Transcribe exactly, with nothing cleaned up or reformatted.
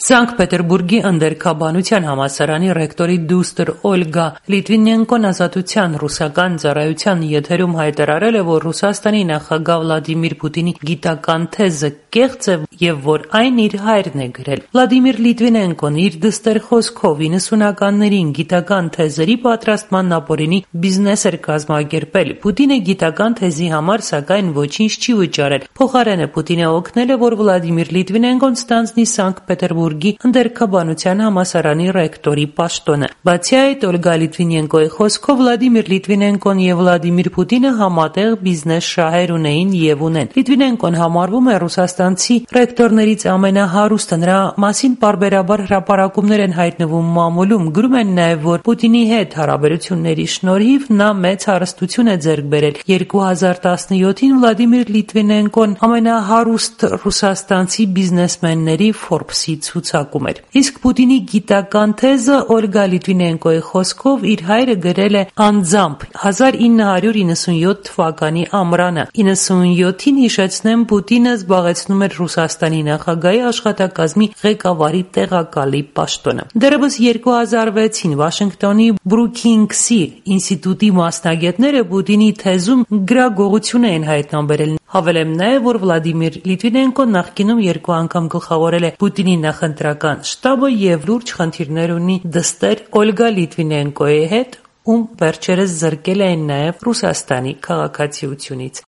Սանկտ Պետերբուրգի ընդերքաբանության համալսարանի ռեկտորի դուստր Օլգա Լիտվինենկոն ազատության ռուսական ծառայության եթերում հայտարարել է, որ Ռուսաստանի նախագահ Վլադիմիր Պուտինի գիտական թեզը կեղծ է եւ որ այն իր հայրն է գրել։ Վլադիմիր Լիտվինենկոն իր դստեր խոսքով իննսունականներին գիտական թեզերի պատրաստման ապօրինի բիզնես էր կազմակերպել։ Պուտինը գիտական թեզի համար սակայն ոչինչ չի վճարել։ Փոխարենը Պուտինը օգնել է, որ Վլադիմիր Լիտվինենկոն ստանձնի Սանկտ Պետերբուրգի ընդերքաբանության համալսարանի ռեկտորի պաշտոնը։ Բացի այդ, Օլգա Լիտվինենկոյի խոսքով Վլադիմիր Լիտվինենկոն եւ Վլադիմիր Պուտինը համատեղ բիզնես շահեր ունեին եւ ունեն։ Լիտվինենկոն համարվում է ռուսաստանցի ռեկտորներից ամենահարուստը։ Նրա մասին պարբերաբար հրապարակումներ են հայտնվում մամուլում։ Գրում են նաեւ, որ Պուտինի հետ հարաբերությունների շնորհիվ նա մեծ հարստություն է ձեռք բերել։ երկու հազար տասնյոթին Վլադիմիր Լիտվինենկոն ամենահարուստ ռուսաստանցի բիզնեսմենների Forbes-ի ցուցակում էր։ Իսկ Պուտինի գիտական թեզը Օլգա Լիտվինենկոյի խոսքով իր հայրը գրել է անձամբ հազար ինը հարյուր իննսունյոթ թվականի ամռանը։ իննսունյոթին հիշեցնեմ, Պուտինը զբաղեցնում էր Ռուսաստանի նախագահի աշխատակազմի ղեկավարի տեղակալի պաշտոնը։ Դեռևս երկու հազար վեցին Վաշինգտոնի Բրուքինգսի ինստիտուտի մասնագետները Պուտինի թեզում գրագողություն էին հայտնաբերել։ Հավելեմ նաև, որ Վլադիմիր Լիտվինենկոն նախկինում երկու անգամ գլխավորել է Պուտինի նախընտրական շտաբը եւ լուրջ խնդիրներ ունի դստեր Օլգա Լիտվինենկոյի հետ, ում վերջերս զրկել էին նաև Ռուսաստանի քաղաքացիությունից։